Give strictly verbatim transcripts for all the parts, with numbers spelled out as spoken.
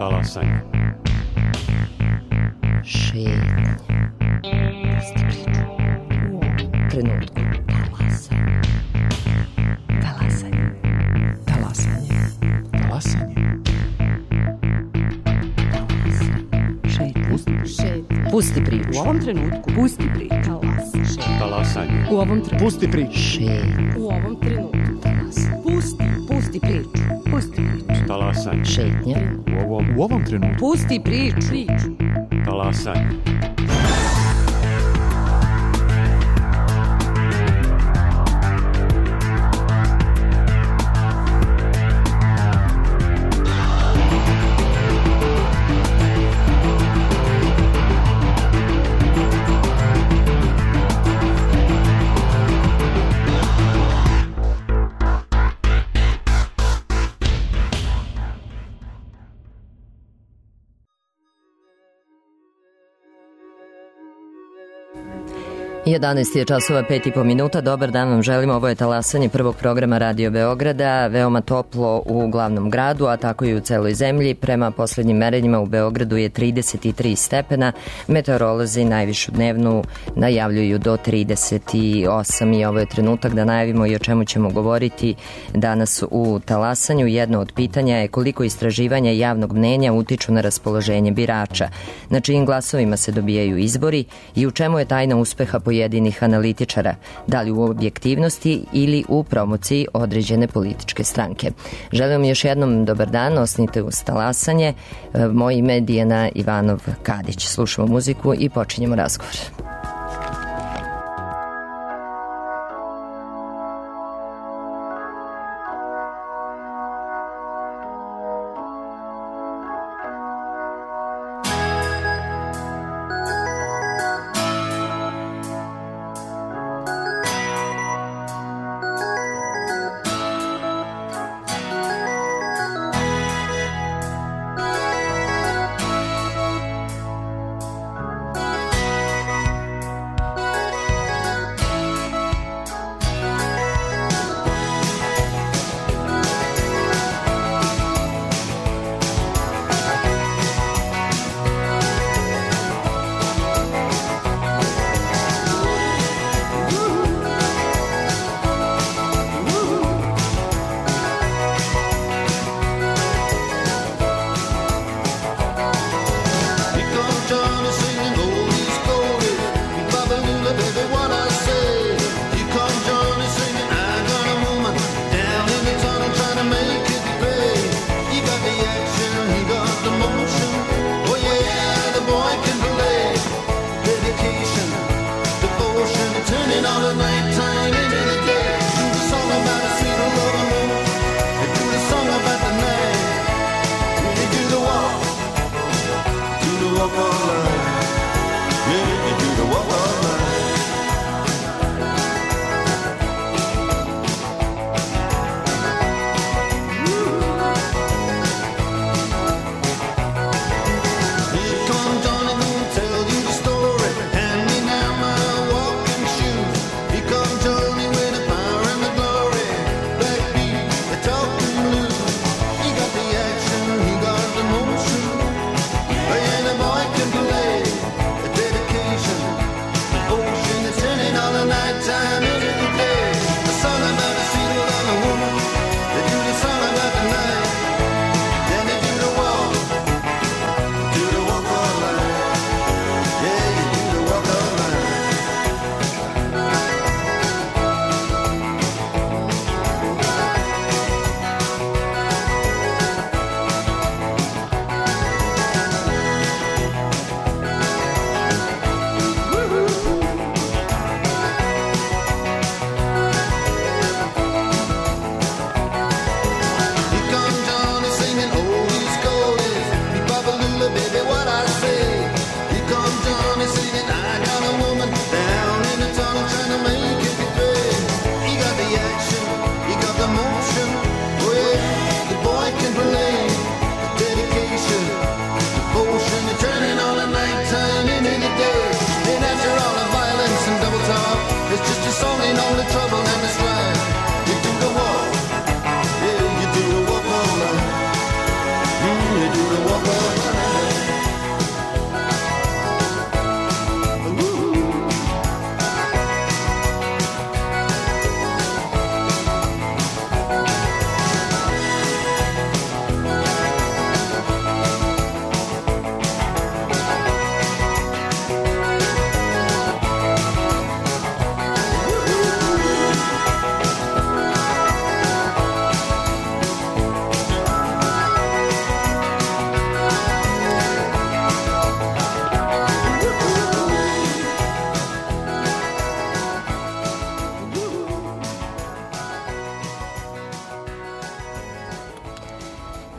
Talasanje. Šetnja. Pusti priču. U ovom trenutku. Talasanje. Talasanje. Talasanje. Talasanje. Šetnja. Pusti. Šetnja. Pusti priču. U ovom trenutku. Pusti priču. Talasanje. Talasanje. U ovom trenutku. Pusti priču. Šetnja. U ovom trenutku. Talasanje. Pusti. Pusti priču. Pusti priču. Talasanje. Šetnja. U ovom, U ovom trenutku. Pusti priču. Priču. talasanje. jedanaest je časova, pet i po minuta. Dobar dan vam želim. Ovo je talasanje prvog programa Radio Beograda. Veoma toplo u glavnom gradu, a tako i u celoj zemlji. Prema poslednjim merenjima u Beogradu je trideset tri stepena. Meteorolozi najvišu dnevnu najavljuju do trideset osam i ovo je trenutak da najavimo i o čemu ćemo govoriti danas u talasanju. Jedno od pitanja je koliko istraživanja javnog mnenja utiču na raspoloženje birača, na čijim glasovima se dobijaju izbori i u čemu je tajna uspeha pojedinih analitičara, da li u objektivnosti ili u promociji određene političke stranke. Želim još jednom dobar dan, osnite uz talasanje. Moje ime je Dijana Ivanov-Kadić. Slušamo muziku i počinjemo razgovor.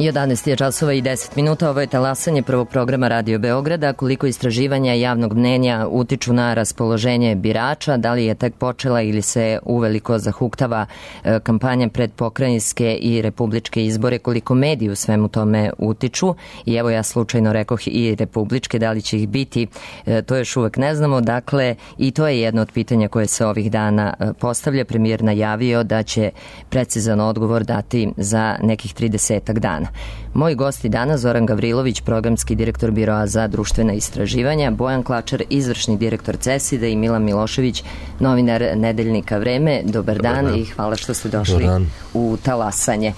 jedanaest je časova i deset minuta, ovo je talasanje prvog programa Radio Beograda. Koliko istraživanja javnog mnenja utiču na raspoloženje birača, da li je tek počela ili se uveliko zahuktava kampanja pred pokrajinske i republičke izbore, koliko mediji u svemu tome utiču, i evo ja slučajno rekoh i republičke, da li će ih biti, to još uvek ne znamo. Dakle, i to je jedno od pitanja koje se ovih dana postavlja. Premijer najavio da će precizan odgovor dati za nekih tridesetak dana. Moji gosti danas: Zoran Gavrilović, programski direktor Biroa za društvena istraživanja, Bojan Klačar, izvršni direktor CESID-a, i Milan Milošević, novinar nedeljnika Vreme. Dobar, Dobar dan, dan i hvala što ste došli u talasanje.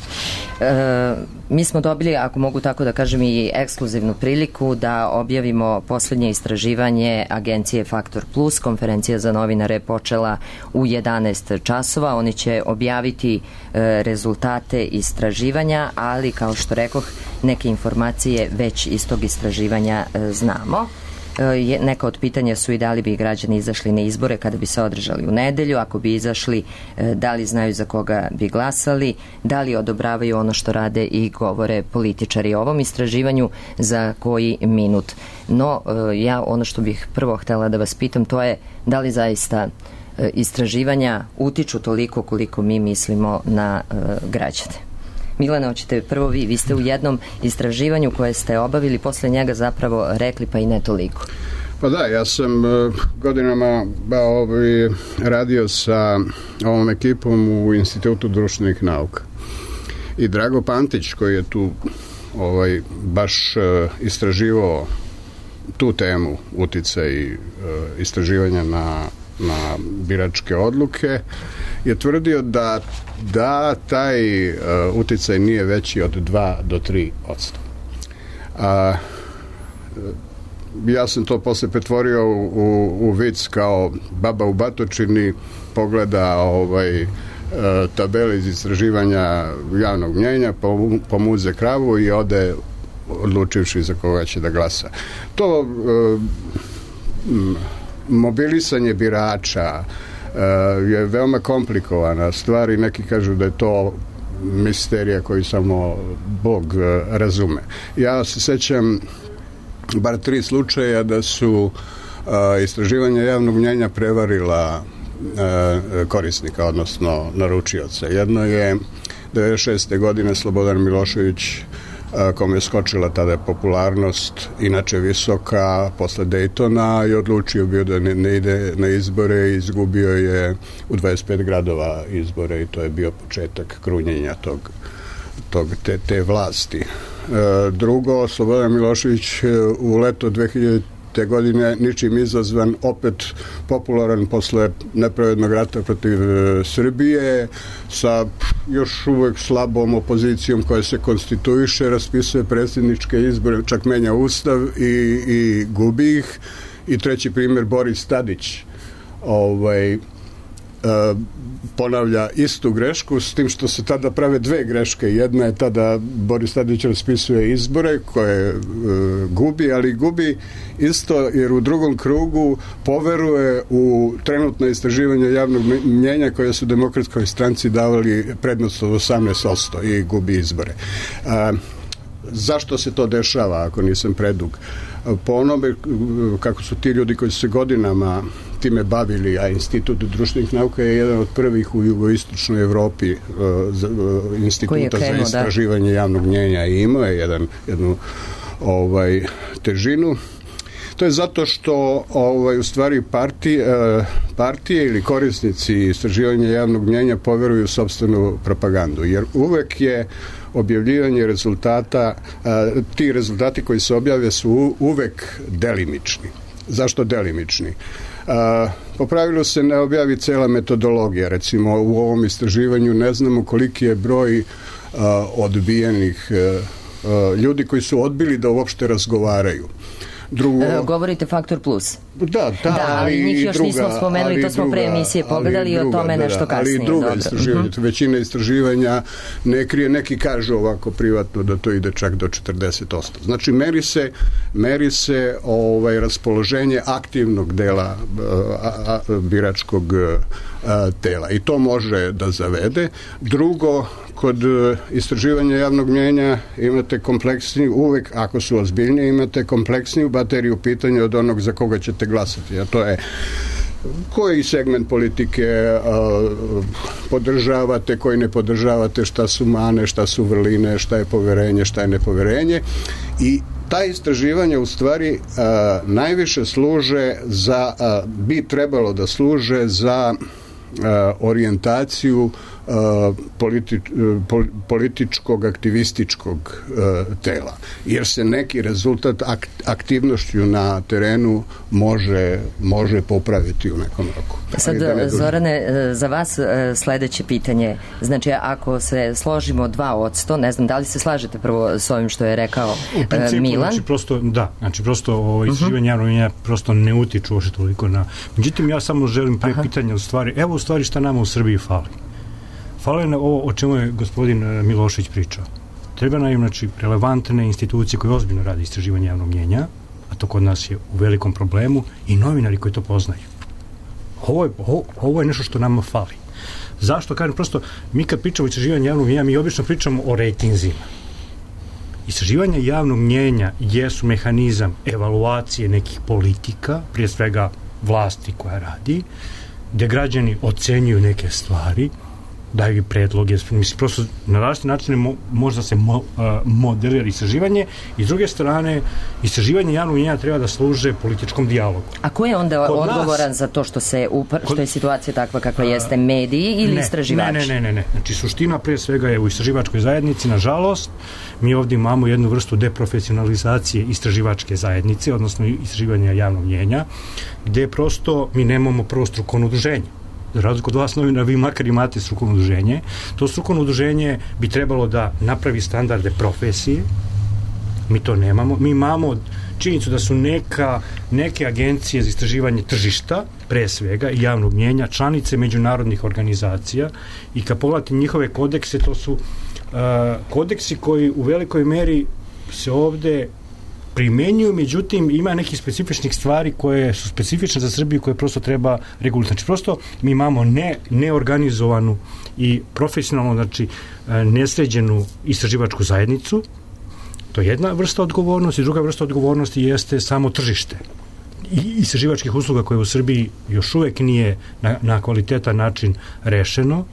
E, mi smo dobili, ako mogu tako da kažem, i ekskluzivnu priliku da objavimo poslednje istraživanje agencije Faktor Plus. Konferencija za novinare je počela u jedanaest časova. Oni će objaviti e, rezultate istraživanja, ali kao što rekoh, neke informacije već iz tog istraživanja e, znamo. E, neka od pitanja su i da li bi građani izašli na izbore kada bi se održali u nedelju, ako bi izašli, e, da li znaju za koga bi glasali, da li odobravaju ono što rade i govore političari o ovom istraživanju, za koji minut. No, e, ja ono što bih prvo htela da vas pitam, to je da li zaista e, istraživanja utiču toliko koliko mi mislimo na e, građane. Milane, hoćete prvo vi. Vi ste u jednom istraživanju koje ste obavili, posle njega zapravo rekli pa i ne toliko. Pa da, ja sam uh, godinama ba, ovaj, radio sa ovom ekipom u Institutu društvenih nauka. I Drago Pantić, koji je tu ovaj, baš uh, istraživao tu temu uticaj uh, istraživanja na na biračke odluke, je tvrdio da, da taj uh, uticaj nije veći od dva do tri posto. A, ja sam to posle pretvorio u, u, u vic, kao baba u batočini pogleda ovaj, uh, tabele iz istraživanja javnog mnjenja, pomuze kravu i ode odlučivši za koga će da glasa. To uh, m, mobilisanje birača uh, je veoma komplikovana stvar i neki kažu da je to misterija koju samo Bog uh, razume. Ja se sećam bar tri slučaja da su uh, istraživanja javnog mnjenja prevarila uh, korisnika, odnosno naručioca. Jedno je devedeset šeste godine Slobodan Milošević, kome je skočila tada popularnost, inače visoka, posle Dejtona, i odlučio bio da ne, ne ide na izbore i izgubio je u dvadeset pet gradova izbore i to je bio početak krunjenja tog, tog, te, te vlasti. E, drugo, Slobodan Milošević u leto dve hiljadite godine, ničim izazvan, opet popularan posle nepravednog rata protiv Srbije, sa još uvek slabom opozicijom koja se konstituiše, raspisuje predsjedničke izbore, čak menja ustav i, i gubi ih. I treći primjer, Boris Tadić, ovaj, ponavlja istu grešku, s tim što se tada prave dve greške. Jedna je tada Boris Tadić raspisuje izbore koje e, gubi, ali gubi isto jer u drugom krugu poveruje u trenutno istraživanje javnog mnjenja koje su Demokratskoj stranci davali prednost od osamnaest posto i gubi izbore. A, zašto se to dešava, ako nisam predug? Po onome kako su ti ljudi koji su se godinama time bavili, a Institut društvenih nauka je jedan od prvih u jugoistočnoj Evropi uh, uh, instituta krenuo, za istraživanje da. javnog mnjenja, i imao je jedan, jednu ovaj, težinu. To je zato što ovaj, u stvari partije, uh, partije ili korisnici istraživanja javnog mnjenja poveruju u sopstvenu propagandu, jer uvek je objavljivanje rezultata, uh, ti rezultati koji se objave su uvek delimični. Zašto delimični? Uh, po pravilu se ne objavi cela metodologija. Recimo u ovom istraživanju ne znamo koliki je broj uh, odbijenih uh, uh, ljudi koji su odbili da uopšte razgovaraju. Drugo, e, govorite Faktor Plus. Da, da, da ali, ali njih još druga, nismo spomenuli, to smo pre emisije pogledali i o tome da, nešto kasnije. Ali druga istraživanja, uh-huh. većina istraživanja ne krije, neki kažu ovako privatno da to ide čak do četrdeset posto. Znači, meri se, meri se ovaj, raspoloženje aktivnog dela a, a, biračkog a, tela i to može da zavede. Drugo, kod istraživanja javnog mnjenja imate kompleksniju, uvek ako su ozbiljnije, imate kompleksniju bateriju pitanja od onog za koga ćete glasati, a to je koji segment politike a, podržavate, koji ne podržavate, šta su mane, šta su vrline, šta je poverenje, šta je nepoverenje. I ta istraživanja u stvari a, najviše služe za, a, bi trebalo da služe za a, orijentaciju Politi, političkog, aktivističkog tela. Jer se neki rezultat aktivnošću na terenu može, može popraviti u nekom roku. Sad, da Zorane, za vas sledeće pitanje. Znači, ako se složimo dva odsto, ne znam, da li se slažete prvo s ovim što je rekao u principu, Milan? Znači, prosto, da, znači, prosto ovo istraživanje javnog mnjenja prosto ne utiču uopšte toliko na... Međutim, ja samo želim pre pitanja u stvari, evo u stvari šta nama u Srbiji fali. Fale na ovo o čemu je gospodin Milošević pričao. Treba nam, znači, relevantne institucije koje ozbiljno rade istraživanje javnog mnjenja, a to kod nas je u velikom problemu, i novinari koji to poznaju. Ovo je, ovo, ovo je nešto što nama fali. Zašto? Kažem, prosto, mi kad pričamo o istraživanju javnog mnjenja, mi obično pričamo o rejtinzima. Istraživanje javnog mnjenja jesu mehanizam evaluacije nekih politika, prije svega vlasti koja radi, gde građani ocenjuju neke stvari, daju i predloge, mislim, prosto na različite načine mo, možda se mo, uh, modelira istraživanje, i s druge strane istraživanje javnog mnjenja treba da služe političkom dijalogu. A ko je onda kod odgovoran nas, za to što se upr, što je situacija takva kakva uh, jeste, mediji ili ne, istraživači? Ne, ne, ne, ne. Znači, suština pre svega je u istraživačkoj zajednici, nažalost, mi ovdje imamo jednu vrstu deprofesionalizacije istraživačke zajednice, odnosno istraživanja javnog mnjenja, gde prosto mi nemamo prvo strukovno udruženje. Za razliku od vas novina, vi makar imate strukovno udruženje. To strukovno udruženje bi trebalo da napravi standarde profesije. Mi to nemamo. Mi imamo činjenicu da su neka, neke agencije za istraživanje tržišta, pre svega, i javnog mnjenja, članice međunarodnih organizacija, i kad pogledate njihove kodekse, to su uh, kodeksi koji u velikoj meri se ovde primenjuju, međutim ima nekih specifičnih stvari koje su specifične za Srbiju, koje prosto treba regulirati. Znači, prosto mi imamo ne, neorganizovanu i profesionalno, znači nesređenu istraživačku zajednicu. To je jedna vrsta odgovornosti. Druga vrsta odgovornosti jeste samo tržište i istraživačkih usluga koje u Srbiji još uvek nije na, na kvalitetan način rešeno.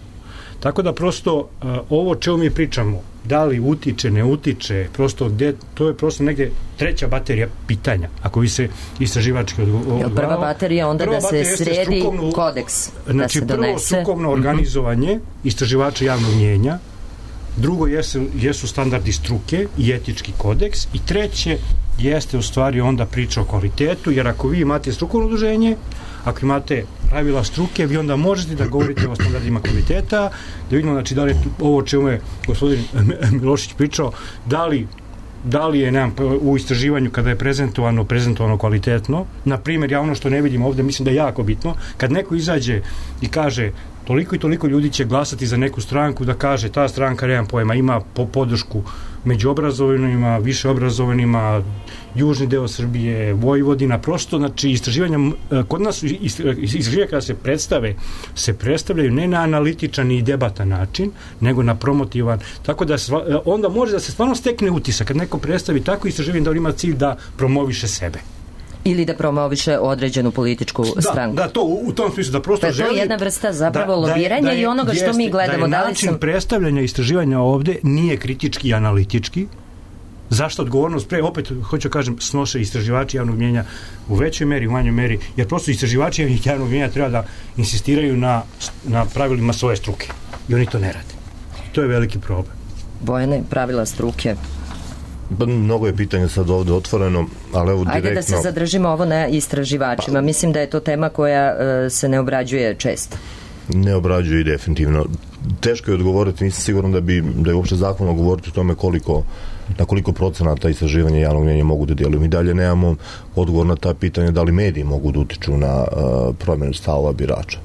Tako da prosto uh, ovo čemu mi pričamo, da li utiče, ne utiče, prosto gde, to je prosto negde treća baterija pitanja, ako vi se istraživački odgovarao. Prva baterija onda prva da se sredi strukovno, kodeks, znači, da se donese. Prvo strukovno organizovanje istraživača javnog mnjenja, drugo jesu, jesu standardi struke i etički kodeks, i treće jeste u stvari onda priča o kvalitetu, jer ako vi imate strukovno udruženje, ako imate pravila struke, vi onda možete da govorite o standardima kvaliteta, da vidimo, znači, da li je ovo čemu je gospodin Milošić pričao, da li, da li je, nemam, u istraživanju kada je prezentovano, prezentovano kvalitetno. Na primjer, ja ono što ne vidim ovde, mislim da je jako bitno, kad neko izađe i kaže toliko i toliko ljudi će glasati za neku stranku, da kaže ta stranka, nemam pojma, ima po podršku među obrazovanima, više obrazovanima, južni deo Srbije, Vojvodina, prosto, znači, istraživanja, kod nas istraživanja kada se predstave, se predstavljaju ne na analitičan i debatan način, nego na promotivan, tako da onda može da se stvarno stekne utisak, kad neko predstavi tako istraživanje, da on ima cilj da promoviše sebe. Ili da promoviše određenu političku da, stranku. Da, to u, u tom smislu, da prosto pa želi... To je jedna vrsta zapravo da, lobiranja da je, i onoga jeste, što mi gledamo. Da je način način sam... predstavljanja istraživanja ovde nije kritički i analitički. Zašto odgovornost pre, opet hoću kažem, snose istraživači javnog mnjenja u većoj meri, u manjoj meri, jer prosto istraživači javnog mnjenja treba da insistiraju na, na pravilima svoje struke. I oni to ne rade. To je veliki problem. Bojane, pravila struke. Pa, mnogo je pitanja sad ovde otvoreno, ali evo direktno... Ajde da se zadržimo ovo na istraživačima. Pa, mislim da je to tema koja uh, se ne obrađuje često. Ne obrađuje i definitivno. Teško je odgovoriti, nisam siguran da bi da je uopšte zakon govoriti o tome koliko, na koliko procenata istraživanja javnog mnjenja mogu da djeluju. Mi dalje nemamo odgovor na ta pitanja da li mediji mogu da utiču na uh, promjenu stavova birača.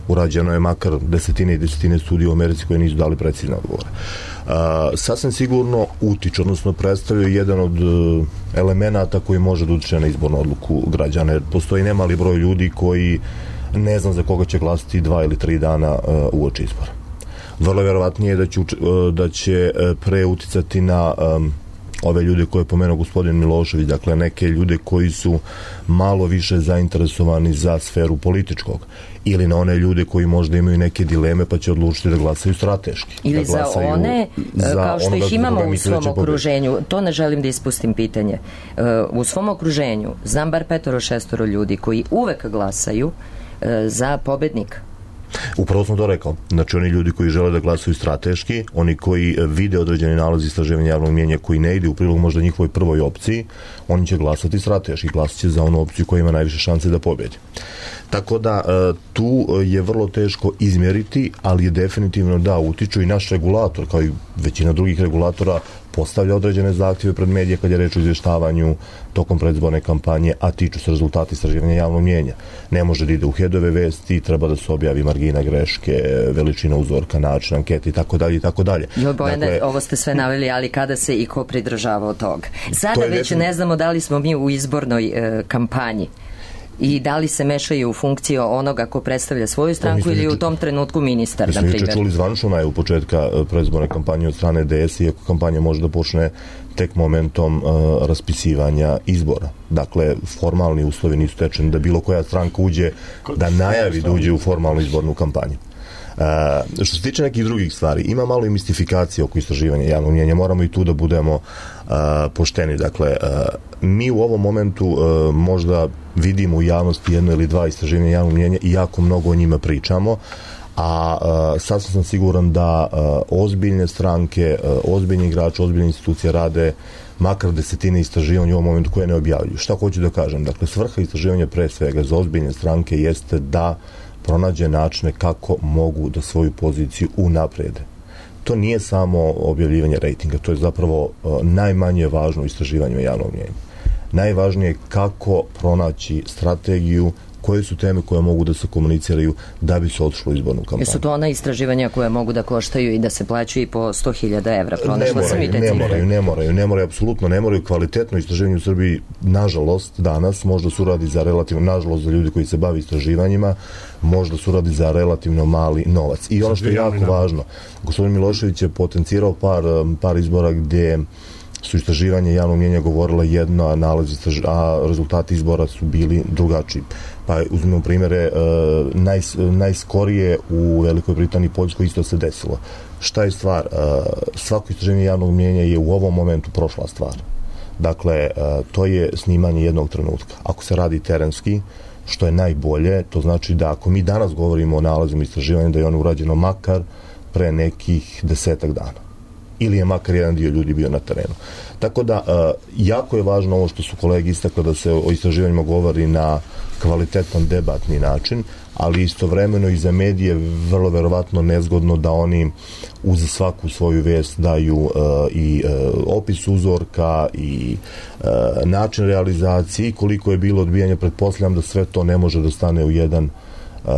Urađeno je makar desetine i desetine studija u Americi koje nisu dali precizne odgovore. Uh, sasvim sigurno utiču, odnosno predstavljaju jedan od uh, elemenata koji može da utiče na izbornu odluku građana, jer postoji nemali broj ljudi koji ne znam za koga će glasiti dva ili tri dana uh, uoči izbora. Vrlo vjerovatnije je da će, da će pre uticati na um, ove ljude koje je pomenuo gospodin Milošević, dakle neke ljude koji su malo više zainteresovani za sferu političkog, ili na one ljude koji možda imaju neke dileme pa će odlučiti da glasaju strateški. Ili da za one, za kao što ih imamo u svom da okruženju, to ne želim da ispustim pitanje. U svom okruženju znam bar petoro šestoro ljudi koji uvek glasaju za pobednika. Upravo sam to rekao. Znači, oni ljudi koji žele da glasaju strateški, oni koji vide određeni nalaz istraživanja javnog mnijenja koji ne ide u prilog možda njihovoj prvoj opciji, oni će glasati strateški, glasat će za onu opciju koja ima najviše šanse da pobjedi. Tako da, tu je vrlo teško izmjeriti, ali je definitivno da utiču i naš regulator, kao i većina drugih regulatora, postavlja određene zahtjeve pred medije kad je reč o izvještavanju tokom predizborne kampanje, a tiču se rezultati istraživanja javnog mnijenja. Ne može da ide u headove vesti, treba da se objavi margina greške, veličina uzorka, način ankete i tako dalje i tako dalje. Joj, Bojane, dakle, ovo ste sve naveli, ali kada se i ko pridržava od toga? Sada već definitivno ne znamo da li smo mi u izbornoj e, kampanji i da li se mešaju u funkciju onoga ko predstavlja svoju stranku ili u tom trenutku ministar, na primjer. Mi smo čuli zvančno najavu početka predizborne kampanje od strane D S, iako kampanja može da počne tek momentom uh, raspisivanja izbora. Dakle, formalni uslovi nisu tečeni da bilo koja stranka uđe, da najavi da uđe u formalnu izbornu kampanju. Uh, što se tiče nekih drugih stvari, ima malo i mistifikacije oko istraživanja javnog mnijenja, moramo i tu da budemo uh, pošteni. Dakle, uh, mi u ovom momentu uh, možda vidimo u javnosti jedno ili dva istraživanja javnog mnijenja i jako mnogo o njima pričamo, a uh, sasvim sam siguran da uh, ozbiljne stranke, uh, ozbiljni igrači, ozbiljne institucije rade makar desetine istraživanja u ovom momentu koje ne objavljuju. Šta hoću da kažem? Dakle, svrha istraživanja pre svega za ozbiljne stranke jeste da pronađe načine kako mogu da svoju poziciju unaprede. To nije samo objavljivanje rejtinga, to je zapravo uh, najmanje važno u istraživanju javnog mnijenja. Najvažnije je kako pronaći strategiju, koje su teme koje mogu da se komuniciraju da bi se otišlo u izbornu kampanju. Jesu to ona istraživanja koje mogu da koštaju i da se plaćaju i po sto hiljada evra? Pronašla sam i te ne moraju, ne moraju, ne moraju, apsolutno ne moraju. Kvalitetno istraživanje u Srbiji, nažalost, danas možda se uradi za relativno, nažalost za ljudi koji se bavi istraživanjima, možda se uradi za relativno mali novac. I ono što je jako važno, gospodin Milošević je potencirao par, par izbora gdje su istraživanje javnog mnijenja govorila jedno, a, nalazi, a rezultati izbora su bili drugačiji. Pa uzmimo primjere, naj, najskorije u Velikoj Britaniji i Poljskoj isto se desilo. Šta je stvar? Svako istraživanje javnog mnijenja je u ovom momentu prošla stvar. Dakle, to je snimanje jednog trenutka. Ako se radi terenski, što je najbolje, to znači da ako mi danas govorimo o nalazima istraživanja, da je ono urađeno makar pre nekih desetak dana. Ili je makar jedan dio ljudi bio na terenu. Tako da, jako je važno ovo što su kolege istakle da se o istraživanjima govori na kvalitetan debatni način, ali istovremeno i za medije vrlo verovatno nezgodno da oni uz svaku svoju vest daju uh, i uh, opis uzorka i uh, način realizacije i koliko je bilo odbijanja. Pretpostavljam da sve to ne može da stane u jedan Uh,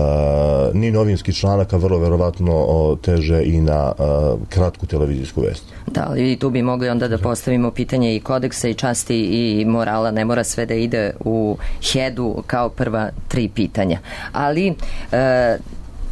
ni novinski članak, a vrlo verovatno o, teže i na uh, kratku televizijsku vest. Da, ali i tu bi mogli onda da postavimo pitanje i kodeksa i časti i morala, ne mora sve da ide u headu kao prva tri pitanja. Ali uh,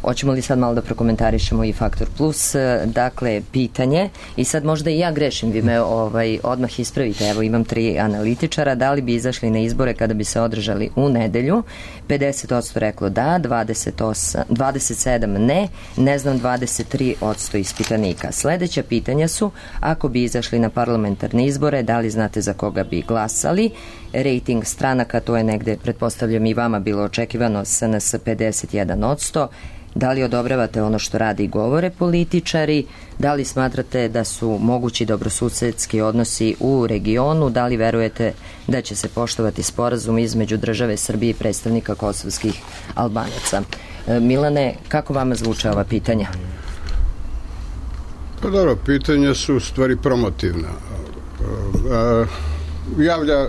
hoćemo li sad malo da prokomentarišemo i Faktor Plus, dakle, pitanje, i sad možda i ja grešim, vi me ovaj, odmah ispravite, evo imam tri analitičara, da li bi izašli na izbore kada bi se održali u nedelju? pedeset posto reklo da, dvadeset osam, dvadeset sedam ne, ne znam dvadeset tri posto ispitanika. Sledeća pitanja su, ako bi izašli na parlamentarne izbore, da li znate za koga bi glasali? Rating stranaka, to je negde, pretpostavljam i vama bilo očekivano, S N S pedeset jedan posto. Da li odobravate ono što radi i govore političari? Da li smatrate da su mogući dobrosusedski odnosi u regionu? Da li verujete da će se poštovati sporazum između države Srbije i predstavnika kosovskih Albanaca? E, Milane, kako vama zvuče ova pitanja? Pa dobro, pitanja su u stvari promotivna. E, javlja,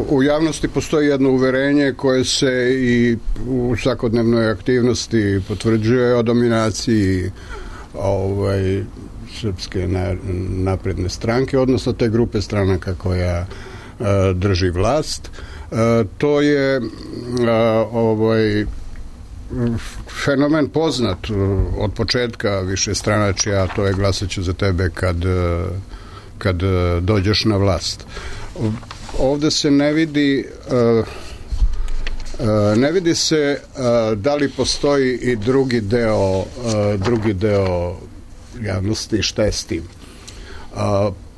u javnosti postoji jedno uverenje koje se i u svakodnevnoj aktivnosti potvrđuje o dominaciji ovaj, srpske napredne stranke, odnosno te grupe stranaka koja drži vlast. To je ovaj, fenomen poznat od početka višestranačja, a to je glasaću za tebe kad, kad dođeš na vlast. Ovde se ne vidi ne vidi se da li postoji i drugi deo drugi deo javnosti, šta je s tim.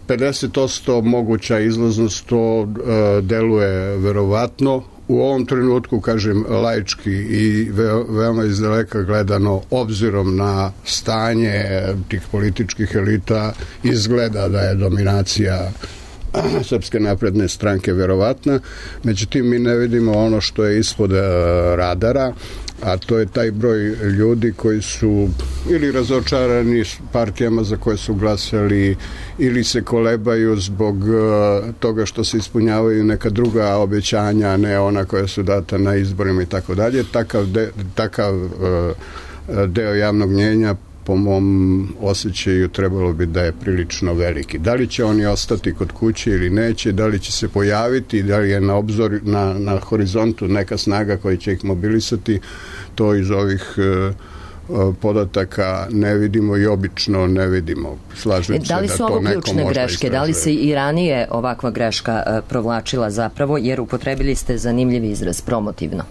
pedeset posto moguća izlaznost, to deluje verovatno. U ovom trenutku, kažem, laički i veoma izdaleka gledano, obzirom na stanje tih političkih elita, izgleda da je dominacija Srpske napredne stranke verovatna. Međutim, mi ne vidimo ono što je ispod radara, a to je taj broj ljudi koji su ili razočarani partijama za koje su glasali, ili se kolebaju zbog toga što se ispunjavaju neka druga obećanja, a ne ona koja su data na izborima i tako dalje. Takav, de, takav deo javnog mnjenja po mom osjećaju trebalo bi da je prilično veliki. Da li će oni ostati kod kuće ili neće, da li će se pojaviti, da li je na obzor, na, na horizontu neka snaga koja će ih mobilisati, to iz ovih uh, podataka ne vidimo i obično ne vidimo. Slažem se da li su ovo ključne greške? Da li se i ranije ovakva greška uh, provlačila zapravo, jer upotrebili ste zanimljiv izraz, promotivno?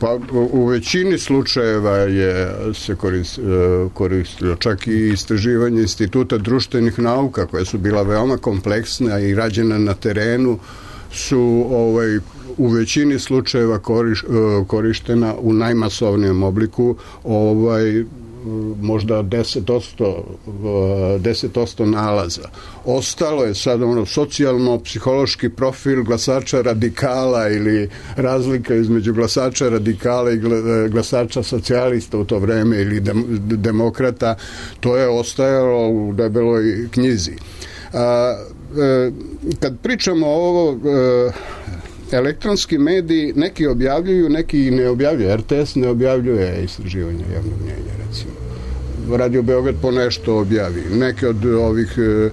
Pa u većini slučajeva je se koristilo čak i istraživanje Instituta društvenih nauka, koja su bila veoma kompleksna i rađena na terenu, su ovaj, u većini slučajeva koriš, korištena u najmasovnijem obliku, ovaj, možda deset posto nalaza. Ostalo je sad ono socijalno-psihološki profil glasača radikala ili razlika između glasača radikala i glasača socijalista u to vreme ili demokrata. To je ostajalo u debeloj knjizi. A, e, kad pričamo o ovo, e, elektronski mediji, neki objavljuju, neki ne objavljuju. R T S ne objavljuje istraživanje javnog mnjenja, recimo. Radio Beograd po nešto objavi. Neke od ovih e,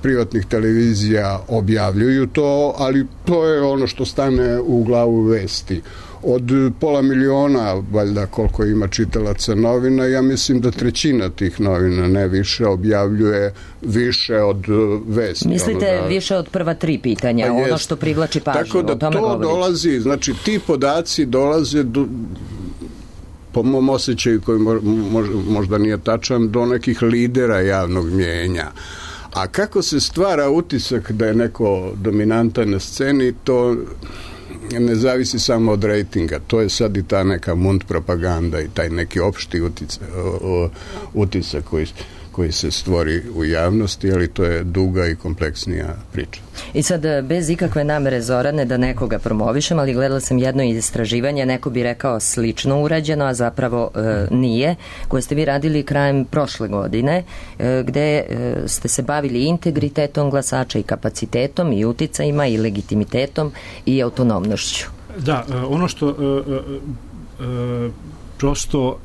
privatnih televizija objavljuju to, ali to je ono što stane u glavu vesti. Od pola miliona, valjda koliko ima čitalaca novina, ja mislim da trećina tih novina, ne više, objavljuje više od vesti. Mislite ono da, više od prva tri pitanja, pa ono što privlači pažnju. Tako da to govorite. Dolazi, znači ti podaci dolaze do, po mom osjećaju koji možda nije tačan, do nekih lidera javnog mnjenja. A kako se stvara utisak da je neko dominantan na sceni, to ne zavisi samo od rejtinga. To je sad i ta neka mund propaganda i taj neki opšti utisak, utisak koji, koji se stvori u javnosti, ali to je duga i kompleksnija priča. I sad, bez ikakve namere, Zorane, da nekoga promovišem, ali gledala sam jedno istraživanje, neko bi rekao slično urađeno, a zapravo e, nije, koje ste vi radili krajem prošle godine, e, gde e, ste se bavili integritetom glasača i kapacitetom i uticajima i legitimitetom i autonomnošću. Da, ono što e, e, prosto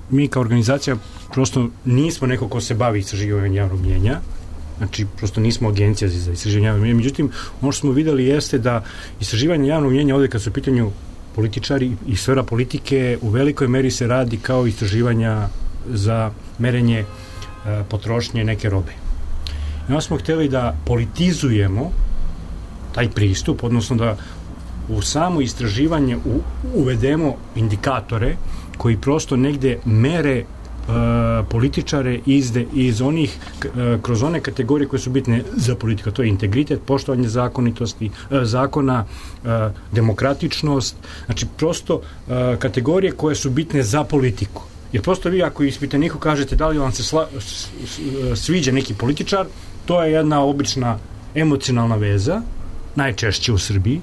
mi kao organizacija prosto nismo neko ko se bavi istraživanjem javnog mnjenja, znači prosto nismo agencija za istraživanje javnog mnjenja. Međutim, ono što smo videli jeste da istraživanje javnog mnjenja ovdje kad su u pitanju političari i sfera politike u velikoj meri se radi kao istraživanja za merenje e, potrošnje neke robe. I onda smo htjeli da politizujemo taj pristup, odnosno da u samo istraživanje u, uvedemo indikatore koji prosto negde mere Uh, političare izde, iz onih uh, kroz one kategorije koje su bitne za politiku. To je integritet, poštovanje zakonitosti, uh, zakona, uh, demokratičnost, znači prosto uh, kategorije koje su bitne za politiku. Jer prosto vi ako ispitaniku kažete da li vam se sla, sviđa neki političar, to je jedna obična emocionalna veza, najčešće u Srbiji,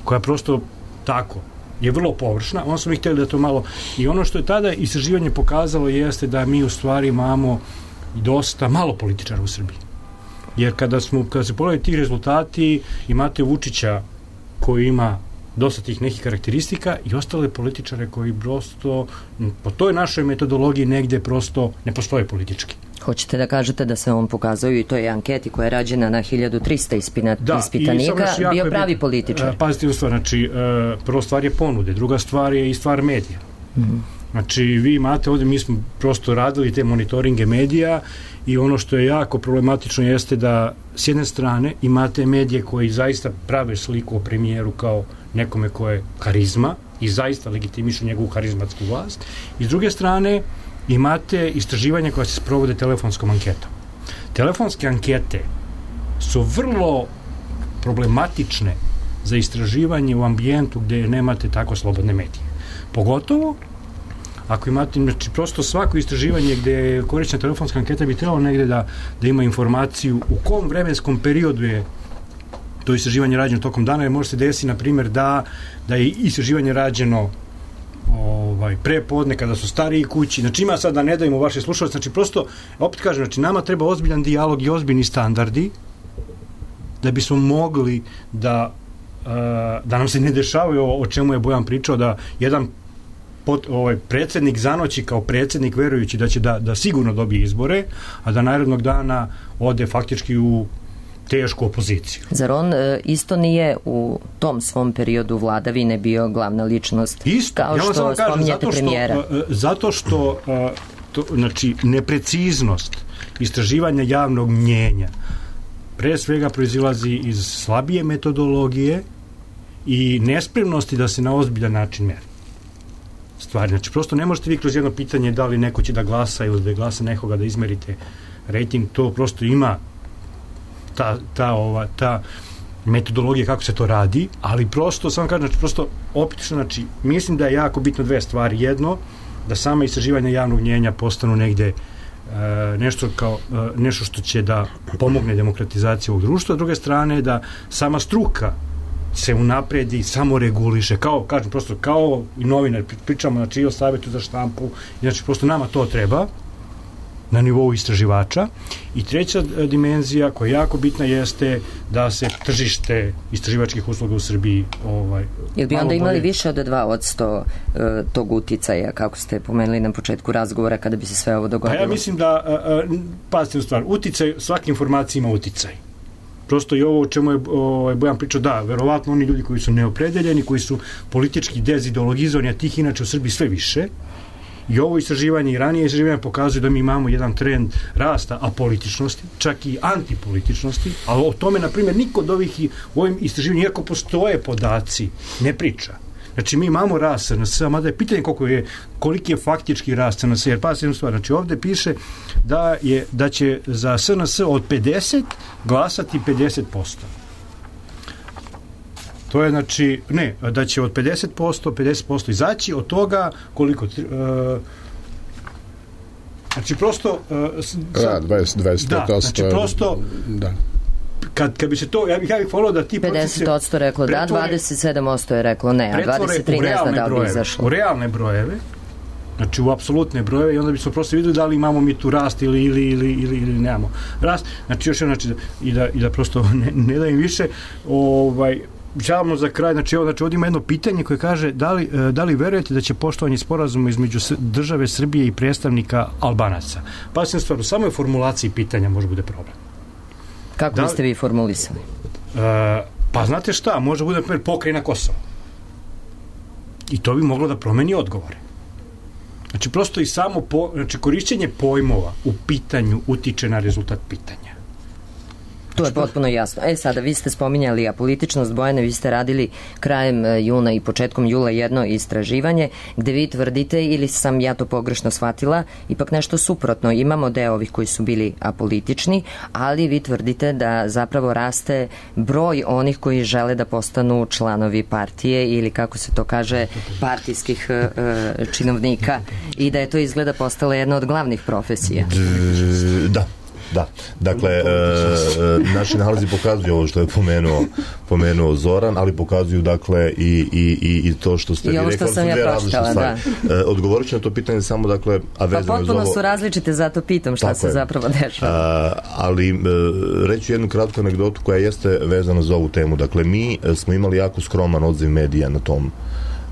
koja prosto tako je vrlo površna, onda smo ih htjeli da to malo, i ono što je tada istraživanje pokazalo jeste da mi u stvari imamo dosta malo političara u Srbiji. Jer kada smo, kada se pogledaju ti rezultati, imate Vučića koji ima dosta tih nekih karakteristika i ostale političare koji prosto po toj našoj metodologiji negde prosto ne postoje politički. Hoćete da kažete da se on pokazao i to je anketi koja je rađena na hiljadu trista ispina, da, ispitanika, bio pravi bit, političar. Pazite u stvar, znači, prvo stvar je ponude, druga stvar je i stvar medija. Mm-hmm. Znači, vi imate ovdje, mi smo prosto radili te monitoringe medija i ono što je jako problematično jeste da s jedne strane imate medije koji zaista prave sliku o premijeru kao nekome ko je karizma i zaista legitimišu njegovu karizmatsku vlast, i s druge strane imate istraživanja koja se sprovode telefonskom anketom. Telefonske ankete su vrlo problematične za istraživanje u ambijentu gdje nemate tako slobodne medije. Pogotovo ako imate, znači prosto svako istraživanje gdje je korišćena telefonska anketa bi trebalo negdje da, da ima informaciju u kom vremenskom periodu je to istraživanje rađeno tokom dana, jer može se desiti, na primjer, da, da je istraživanje rađeno ovaj, pre podne kada su stariji kući. Znači ima sad da ne dajemo vaše slušalce, znači prosto, opet kažem, znači nama treba ozbiljan dijalog i ozbiljni standardi da bismo mogli da uh, da nam se ne dešavaju o, o čemu je Bojan pričao, da jedan pot, ovaj, predsjednik zanoći kao predsjednik verujući da će da, da sigurno dobije izbore, a da narednog dana ode faktički u tešku opoziciju. Zar on e, isto nije u tom svom periodu vladavine bio glavna ličnost? Isto, kao ja vam što kažem, spominjate zato što, premijera. Zato što a, to, znači, nepreciznost istraživanja javnog mnjenja pre svega proizilazi iz slabije metodologije i nespremnosti da se na ozbiljan način meri stvari. Znači, prosto ne možete vi kroz jedno pitanje da li neko će da glasa ili da glasa nekoga da izmerite rating, to prosto ima ta, ta, ova, ta metodologija kako se to radi, ali prosto, samo kažem, znači, prosto opet, znači, mislim da je jako bitno dve stvari. Jedno, da sama istraživanja javnog mnjenja postanu negde Uh, nešto kao uh, nešto što će da pomogne demokratizaciji ovog društva, a druge strane da sama struka se unapredi, samo reguliše, kao, kažem, prosto kao i novinar, pričamo, znači, i o savjetu za štampu, znači, prosto nama to treba na nivou istraživača. I treća dimenzija koja je jako bitna jeste da se tržište istraživačkih usluga u Srbiji ovaj, jel bi onda bolje... imali više od dva odsto uh, tog uticaja, kako ste pomenuli na početku razgovora, kada bi se sve ovo dogodilo? Pa ja mislim da, uh, uh, pazite u stvar, uticaj, svaka informacija ima uticaj. Prosto i ovo o čemu je ovaj, Bojan pričao, da, verovatno oni ljudi koji su neopredeljeni, koji su politički dezideologizovani, a tih inače u Srbiji sve više. I ovo istraživanje i ranije istraživanje pokazuju da mi imamo jedan trend rasta apolitičnosti, čak i antipolitičnosti, ali o tome, na primjer, niko od ovih u ovim istraživanjima, iako postoje podaci, ne priča. Znači, mi imamo rast S N S, mada je pitanje koliko je, koliki je faktički rast S N S, jer pa se jednu stvar, znači ovde piše da, je, da će za S N S od pedeset glasati pedeset posto. To je, znači, ne, da će od pedeset posto, pedeset posto izaći, od toga koliko... Uh, znači, prosto... Uh, da, dvadeset, dvadeset posto. Da, znači, prosto... Da. Kad, kad bi se to... Ja bih, ja bih volio da ti... pedeset posto reklo da, dvadeset sedam posto je reklo ne, a dvadeset tri ne zna da li bi izašlo. U realne brojeve, znači u apsolutne brojeve, i onda bismo prosto videli da li imamo mi tu rast ili, ili, ili, ili, ili nemamo rast. Znači, još jedno, znači, i da, i da prosto ne, ne dajem više, ovaj... Žalimo za kraj, znači, ovo, znači ovdje ima jedno pitanje koje kaže da li, da li verujete da će poštovanje sporazuma između države Srbije i predstavnika Albanaca? Pa sam stvar, u samoj formulaciji pitanja može bude problem. Kako da, biste vi formulisali? Uh, pa znate šta, može bude, na primjer, pokrajina Kosova. I to bi moglo da promeni odgovore. Znači, prosto i samo po, znači, korišćenje pojmova u pitanju utiče na rezultat pitanja. To je potpuno jasno. E sada, vi ste spominjali apolitičnost, Bojane, vi ste radili krajem juna i početkom jula jedno istraživanje gde vi tvrdite, ili sam ja to pogrešno shvatila, ipak nešto suprotno. Imamo deo ovih koji su bili apolitični, ali vi tvrdite da zapravo raste broj onih koji žele da postanu članovi partije ili, kako se to kaže, partijskih uh, činovnika, i da je to izgleda postala jedna od glavnih profesija. Da. Da, dakle, e, naši nalazi pokazuju ovo što je pomenuo, pomenuo Zoran, ali pokazuju, dakle, i, i, i to što ste vi rekli. I ovo što sam ja pročitala, da. E, odgovorit ću na to pitanje samo, dakle, a vezano pa potpuno ovo... su različite, zato pitam šta Tako se je. zapravo dešava. A, ali e, reću jednu kratku anegdotu koja jeste vezana za ovu temu. Dakle, mi smo imali jako skroman odziv medija na tom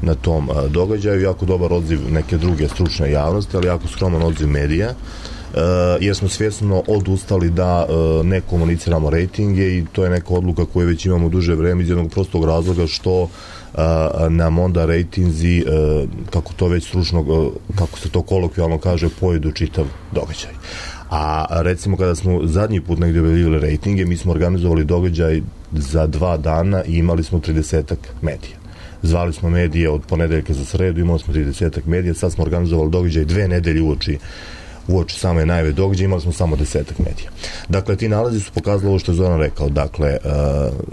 na tom a, događaju, jako dobar odziv neke druge stručne javnosti, ali jako skroman odziv medija. jer smo svjesno odustali da ne komuniciramo rejtinge i to je neka odluka koju već imamo duže vreme iz jednog prostog razloga što nam onda rejtinzi, kako to već stručno, kako se to kolokvijalno kaže, pojedu čitav događaj. A recimo kada smo zadnji put negdje objavljivali rejtinge, mi smo organizovali događaj za dva dana i imali smo tridesetak medija. Zvali smo medije od ponedeljka za sredu, imali smo tridesetak medija, sad smo organizovali događaj dve nedelje uoči uoči same najave događaja, imali smo samo desetak medija. Dakle, ti nalazi su pokazali ovo što je Zoran rekao. Dakle, uh,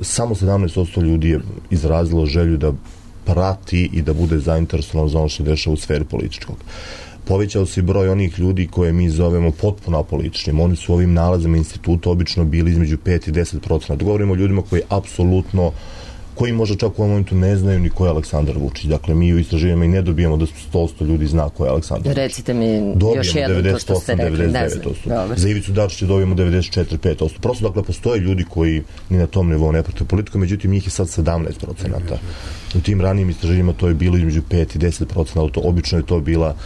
samo sedamnaest posto ljudi je izrazilo želju da prati i da bude zainteresovano za ono što se dešava u sferi političkog. Povećao se broj onih ljudi koje mi zovemo potpuno apolitičnim. Oni su ovim nalazima instituta obično bili između pet i deset procenata. Govorimo o ljudima koji apsolutno, koji možda čak u ovom momentu ne znaju ni ko je Aleksandar Vučić. Dakle, mi u istraživanjima i ne dobijemo da sto posto ljudi zna ko je Aleksandar Vučić. Recite mi dobijemo još jedno to što ste rekli. devedeset osam, devedeset devet posto. Za Ivicu Dačića dobijemo devedeset četiri pet posto. Prosto, dakle, postoje ljudi koji ni na tom nivou ne prate politiku, međutim, njih je sad sedamnaest procenata. U tim ranijim istraživanjima to je bilo između pet i deset procenata. Obično je to bila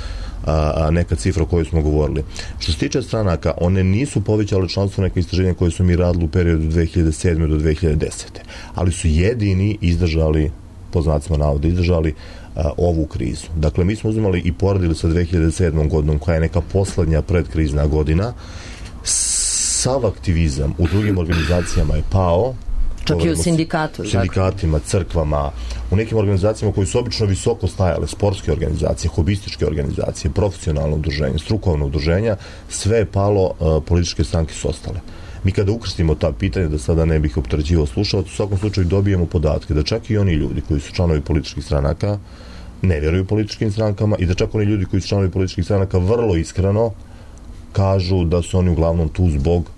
A, a neka cifra o kojoj smo govorili. Što se tiče stranaka, one nisu povećale članstvo neka istraženja koje su mi radili u periodu dve hiljade sedme do dve hiljade desete. Ali su jedini izdržali, po znacima navoda, izdržali a, ovu krizu. Dakle, mi smo uzimali i poredili sa dve hiljade sedmom godinom, koja je neka poslednja predkrizna godina. Sav aktivizam u drugim organizacijama je pao. Čak i u sindikatu. Sindikatima, crkvama, u nekim organizacijama koji su obično visoko stajale, sportske organizacije, hobističke organizacije, profesionalno udruženje, strukovno udruženja, sve je palo, uh, političke stranke su ostale. Mi kada ukrstimo ta pitanja, da sada ne bih opterećivao slušalac, u svakom slučaju dobijemo podatke da čak i oni ljudi koji su članovi političkih stranaka ne vjeruju političkim strankama i da čak oni ljudi koji su članovi političkih stranaka vrlo iskreno kažu da su oni uglavnom tu zbog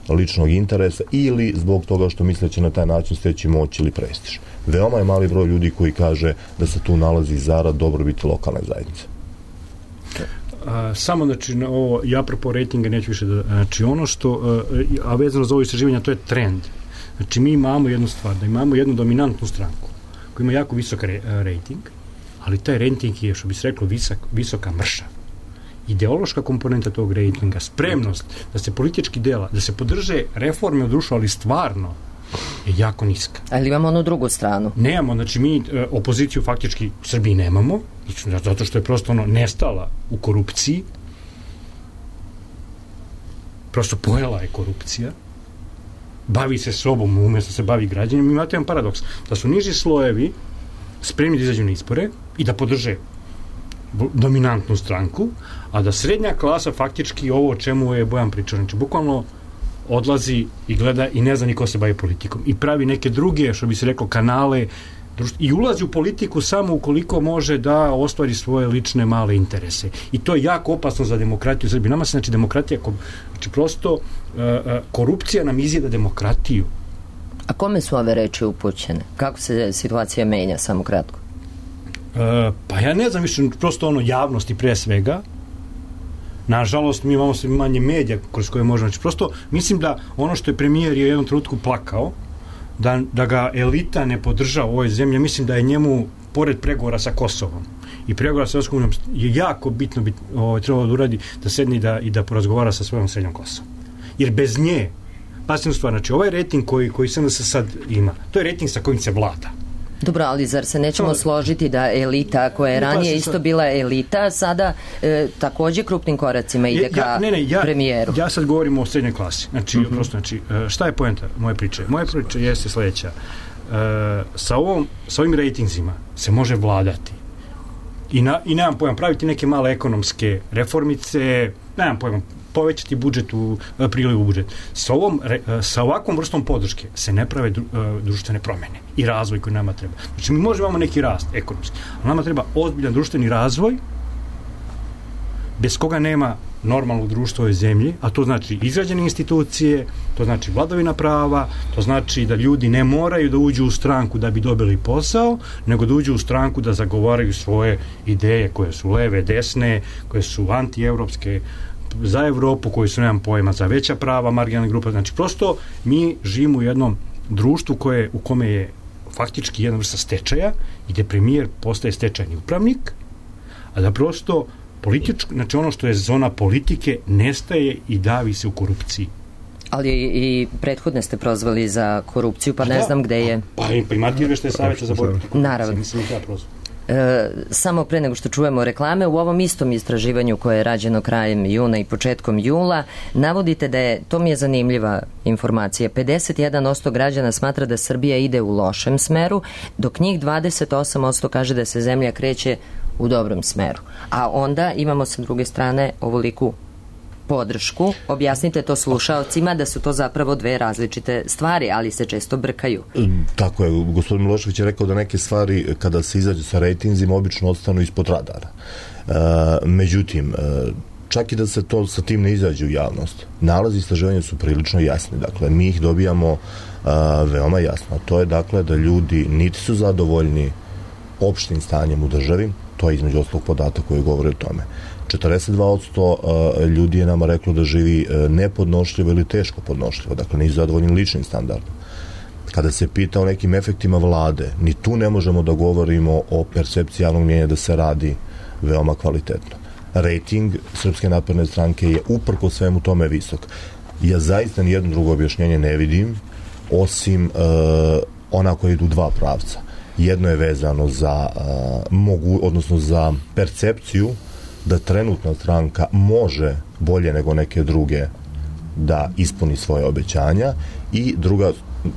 ličnog interesa ili zbog toga što misle će na taj način steći moć ili prestiž. Veoma je mali broj ljudi koji kaže da se tu nalazi zarad dobrobiti lokalne zajednice. A, samo, znači, na ovo, ja apropo rejtinga neću više da, znači, ono što, a, a vezano za ovo istraživanje, to je trend. Znači, mi imamo jednu stvar, da imamo jednu dominantnu stranku koja ima jako visok re, rejting, ali taj rejting je, što bi se reklo, visok, visoka mrša. Ideološka komponenta tog rejtinga, spremnost da se politički dela, da se podrže reforme u društvu, ali stvarno je jako niska. Ali imamo onu drugu stranu. Nemamo, znači mi e, opoziciju faktički u Srbiji nemamo, zato što je prosto ono nestala u korupciji. Prosto pojela je korupcija. Bavi se sobom umjesto se bavi građanima. Imate jedan paradoks, da su niži slojevi spremni da izađu na izbore i da podrže dominantnu stranku, a da srednja klasa faktički ovo o čemu je Bojan pričao, znači bukvalno odlazi i gleda i ne zna ni ko se bavi politikom i pravi neke druge, što bi se reklo, kanale i ulazi u politiku samo ukoliko može da ostvari svoje lične male interese. I to je jako opasno za demokratiju u Srbiji. Nama se, znači, demokratija, znači prosto uh, uh, korupcija nam izjeda demokratiju. A kome su ove reči upućene? Kako se situacija menja, samo kratko? Uh, pa ja ne znam više, prosto ono javnosti pre svega. Nažalost, mi imamo sve manje medija kroz koje možemo. Znači, prosto mislim da ono što je premijer je u jednom trenutku plakao, da, da ga elita ne podržava u ovoj zemlji, mislim da je njemu, pored pregovora sa Kosovom i pregovora sa Evropskom unijom, je jako bitno bit, ovo, trebalo da uradi, da sedne i da, i da porazgovara sa svojom srednjom Kosovom. Jer bez nje, pasivnu stvar, znači ovaj rejting koji, koji se sad ima, to je rejting sa kojim se vlada. Dobro, ali zar se nećemo no, složiti da elita koja je ranije isto bila elita, sada e, takođe krupnim koracima ide ja, ka ne, ne, ja, premijeru? Ja sad govorim o srednjoj klasi. Znači, mm-hmm. prosto, znači, šta je poenta moje priče? Moje priče jeste sledeća. E, sa, ovom, sa ovim rejtingzima se može vladati. I, na, i nemam pojma, praviti neke male ekonomske reformice, nemam pojma, povećati budžet u priliv u budžet. Sa, ovom, sa ovakvom vrstom podrške se ne prave dru, društvene promene i razvoj koji nama treba. Znači, mi možemo imamo neki rast ekonomski, ali nama treba ozbiljan društveni razvoj bez koga nema normalnog društva u ovoj zemlji, a to znači izgrađene institucije, to znači vladavina prava, to znači da ljudi ne moraju da uđu u stranku da bi dobili posao, nego da uđu u stranku da zagovaraju svoje ideje koje su leve, desne, koje su antievropske, za Evropu, koji su, nemam pojma, za veća prava, marginalne grupe. Znači, prosto mi živimo u jednom društvu koje, u kome je faktički jedna vrsta stečaja i gde premijer postaje stečajni upravnik, a da prosto Političko, znači ono što je zona politike nestaje i davi se u korupciji. Ali i prethodne ste prozvali za korupciju, pa ne da, znam gde je. Pa i primatir što je savjeta za borbu. Naravno. Mislim ja prozvao. E, samo pre nego što čujemo reklame, u ovom istom istraživanju koje je rađeno krajem juna i početkom jula, navodite da je, to mi je zanimljiva informacija, pedeset jedan posto građana smatra da Srbija ide u lošem smeru, dok njih dvadeset osam posto kaže da se zemlja kreće u dobrom smeru. A onda imamo sa druge strane ovoliku podršku. Objasnite to slušaocima da su to zapravo dve različite stvari, ali se često brkaju. Tako je, gospodin Milošević je rekao da neke stvari kada se izađe sa rejtinzima obično ostanu ispod radara. E, međutim, čak i da se to sa tim ne izađe u javnost, nalazi istraživanja su prilično jasni. Dakle, mi ih dobijamo a, veoma jasno. To je dakle da ljudi niti su zadovoljni opštim stanjem u državi, to je između ostalog podatak koji govori o tome. četrdeset dva posto ljudi je nama reklo da živi nepodnošljivo ili teško podnošljivo, dakle nisu zadovoljni ličnim standardom. Kada se pita o nekim efektima vlade, ni tu ne možemo da govorimo o percepciji javnog mnjenja da se radi veoma kvalitetno. Rating Srpske napredne stranke je uprko svemu tome visok. Ja zaista nijedno drugo objašnjenje ne vidim, osim uh, ona koja idu u dva pravca. Jedno je vezano za uh, mogu, odnosno za percepciju da trenutna stranka može bolje nego neke druge da ispuni svoje obećanja, i druga,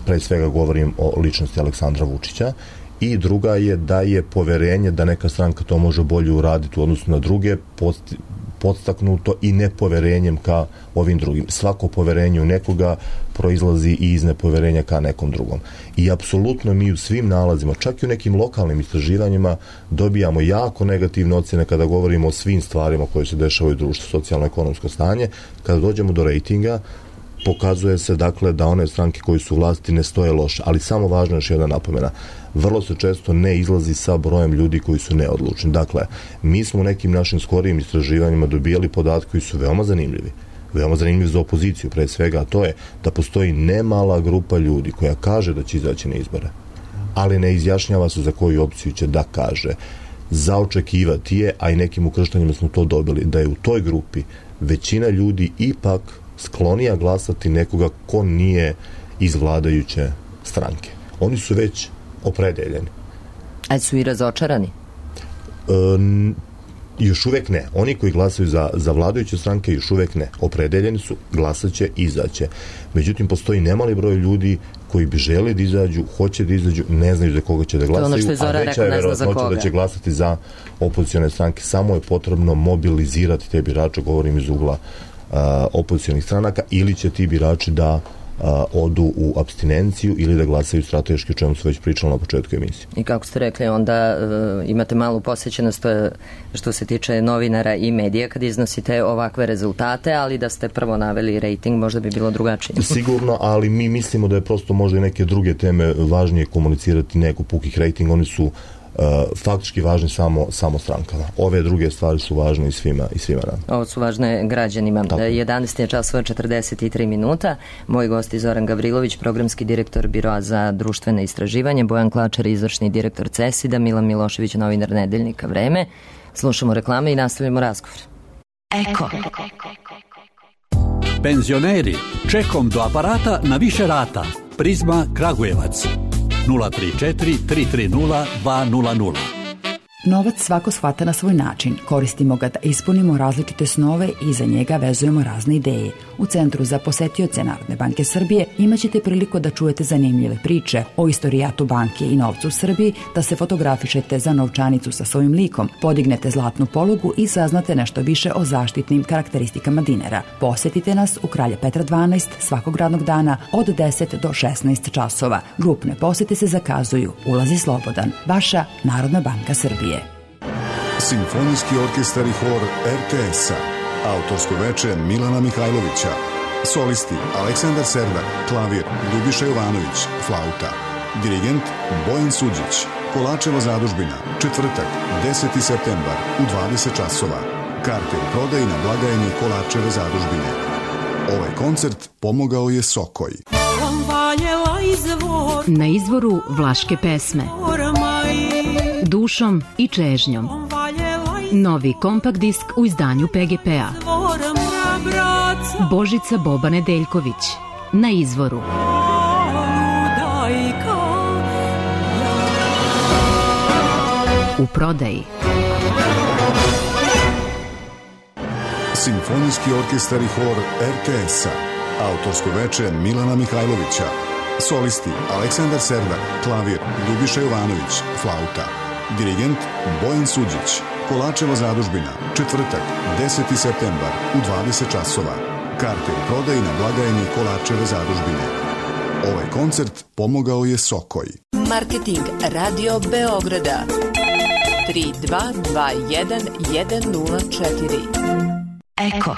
pre svega govorim o ličnosti Aleksandra Vučića, i druga je da je poverenje da neka stranka to može bolje uraditi u odnosu na druge post, podstaknuto i nepoverenjem ka ovim drugim. Svako poverenje u nekoga proizlazi i iz nepoverenja ka nekom drugom. I apsolutno mi u svim nalazima, čak i u nekim lokalnim istraživanjima, dobijamo jako negativne ocjene kada govorimo o svim stvarima koje se dešavaju u društvu, socijalno-ekonomsko stanje. Kada dođemo do rejtinga, pokazuje se dakle da one stranke koje su u vlasti ne stoje loše, ali samo važno je još jedna napomena. Vrlo se često ne izlazi sa brojem ljudi koji su neodlučni. Dakle, mi smo u nekim našim skorijim istraživanjima dobijali podatke koji su veoma zanimljivi. Veoma zanimljivi za opoziciju, pre svega, a to je da postoji nemala grupa ljudi koja kaže da će izaći na izbore, ali ne izjašnjava se za koju opciju će da kaže. Zaočekivati je, a i nekim ukrštanjima smo to dobili, da je u toj grupi većina ljudi ipak sklonija glasati nekoga ko nije iz vladajuće stranke. Oni su već opredeljeni. A su i razočarani? E, još uvek ne. Oni koji glasaju za, za vladajuće stranke još uvek ne. Opredeljeni su, glasaće, izaće. Međutim, postoji nemali broj ljudi koji bi želi da izađu, hoće da izađu, ne znaju za koga će da glasaju, ono a veća je verovatnoća da će glasati za opozicione stranke. Samo je potrebno mobilizirati te birače, govorim iz ugla uh, opozicijonih stranaka, ili će ti birači da a, odu u apstinenciju ili da glasaju strateški, o čemu su već pričali na početku emisije. I kako ste rekli, onda uh, imate malu posjećenost što se tiče novinara i medija kad iznosite ovakve rezultate, ali da ste prvo naveli rating, možda bi bilo drugačije. Sigurno, ali mi mislimo da je prosto možda i neke druge teme važnije komunicirati nego pukih rating. Oni su Uh, faktički važni samo, samo strankama. Ove druge stvari su važne i svima, i svima nam. Ovo su važne građanima. Tako. jedanaest je časova četrdeset tri minuta. Moj gost je Zoran Gavrilović, programski direktor Biroa za društvene istraživanje, Bojan Klačar, izvršni direktor CESID-a, Milan Milošević, novinar Nedeljnika Vreme. Slušamo reklame i nastavljamo razgovor. Eko. Penzioneri, čekom do aparata na više rata. Prizma Kragujevac. nula tri četiri tri tri nula dva nula nula. Novac svako shvata na svoj način. Koristimo ga da ispunimo različite snove i za njega vezujemo razne ideje. U Centru za posetioce Narodne banke Srbije imaćete priliku da čujete zanimljive priče o istorijatu banke i novcu u Srbiji, da se fotografišete za novčanicu sa svojim likom, podignete zlatnu polugu i saznate nešto više o zaštitnim karakteristikama dinara. Posetite nas u Kralja Petra dvanaest svakog radnog dana od deset do šesnaest časova. Grupne posete se zakazuju. Ulaz je slobodan. Vaša Narodna banka Srbije. Simfonijski orkestar i hor er te es-a. Autorsko veče Milana Mihajlovića. Solisti Aleksandar Serdar, klavir Ljubiša Jovanović, flauta. Dirigent Bojan Suđić. Kolačeva zadužbina, četvrtak, deseti septembar u dvadeset časova. Karte u prodaji na blagajni Kolačeve zadužbine. Ovaj koncert pomogao je Sokoj. Na izvoru vlaške pesme. Dušom i čežnjom. Novi kompakt disk u izdanju P G P-a. Božica Boba Nedeljković. Na izvoru. U prodaji. Simfonijski orkestar i hor R T S-a. Autorsko veče Milana Mihajlovića. Solisti Aleksandar Serdar, klavir Ljubiša Jovanović, flauta. Dirigent Bojan Suđić. Kolačeva zadužbina, četvrtak, deseti septembar u dvadeset časova. Karte u prodaji na blagajni Kolačeve zadužbine. Ovaj koncert pomogao je Sokoj. Marketing Radio Beograda tri dva dva jedan jedan nula četiri. Eko.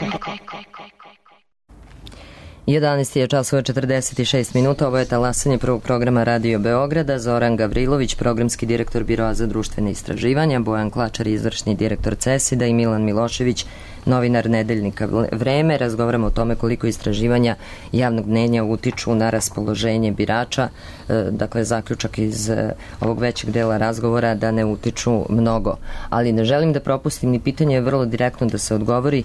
jedanaest je časova četrdeset šest minuta, ovo je talasanje prvog programa Radio Beograda. Zoran Gavrilović, programski direktor Biroa za društvene istraživanja, Bojan Klačar, izvršni direktor CESID-a i Milan Milošević, novinar nedeljnika Vreme. Razgovaramo o tome koliko istraživanja javnog mnjenja utiču na raspoloženje birača. Dakle, zaključak iz ovog većeg dela razgovora da ne utiču mnogo. Ali ne želim da propustim ni pitanje, vrlo direktno da se odgovori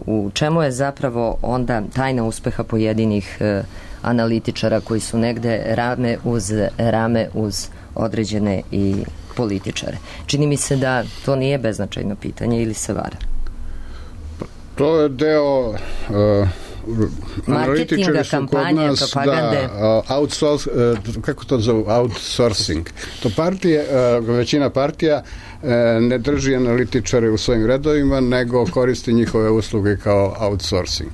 u čemu je zapravo onda tajna uspeha pojedinih analitičara koji su negde rame uz rame uz određene i političare. Čini mi se da to nije beznačajno pitanje ili se vara. To je deo uh, marketinga, kampanje, nas, propagande. Da, uh, outsource, uh, kako to zove? Outsourcing. To partije, uh, većina partija uh, ne drži analitičare u svojim redovima, nego koristi njihove usluge kao outsourcing.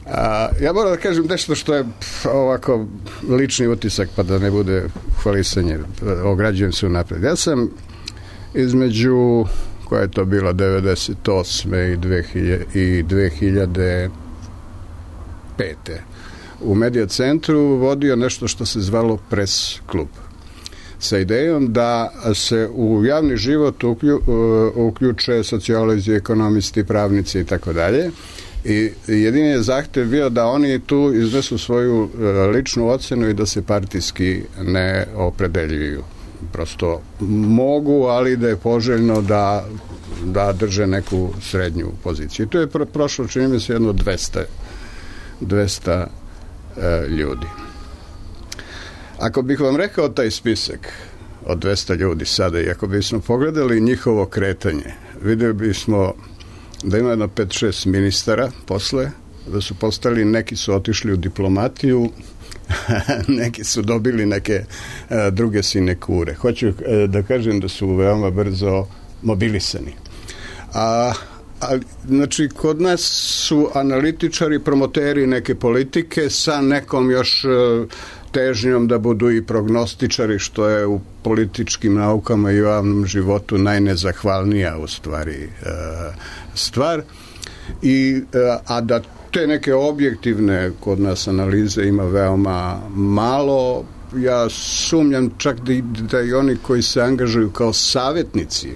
Uh, ja moram da kažem nešto što je pf, ovako lični utisak, pa da ne bude hvalisanje, ograđujem se unapred. Ja sam između koja je to bila devedeset osme i dve hiljade pete u Medija centru vodio nešto što se zvalo Press klub, sa idejom da se u javni život uklju, uključe sociolozi, ekonomisti, pravnici i tako dalje. I jedini je zahtev bio da oni tu iznesu svoju ličnu ocenu i da se partijski ne opredeljuju. Prosto mogu, ali da je poželjno da, da drže neku srednju poziciju. I tu je pro, prošlo, čini mi se, jedno dvesta e, ljudi. Ako bih vam rekao taj spisak od dvesta ljudi sada i ako bismo pogledali njihovo kretanje, vidjeli bismo da ima jedno pet šest ministara posle, da su postali, neki su otišli u diplomatiju, neki su dobili neke a, druge sinekure. Hoću a, da kažem da su veoma brzo mobilisani. A, a, znači, kod nas su analitičari, promoteri neke politike sa nekom još a, težnjom da budu i prognostičari, što je u političkim naukama i u javnom životu najnezahvalnija u stvari a, stvar. I, a, a da te neke objektivne kod nas analize ima veoma malo. Ja sumnjam čak da, da i oni koji se angažuju kao savjetnici,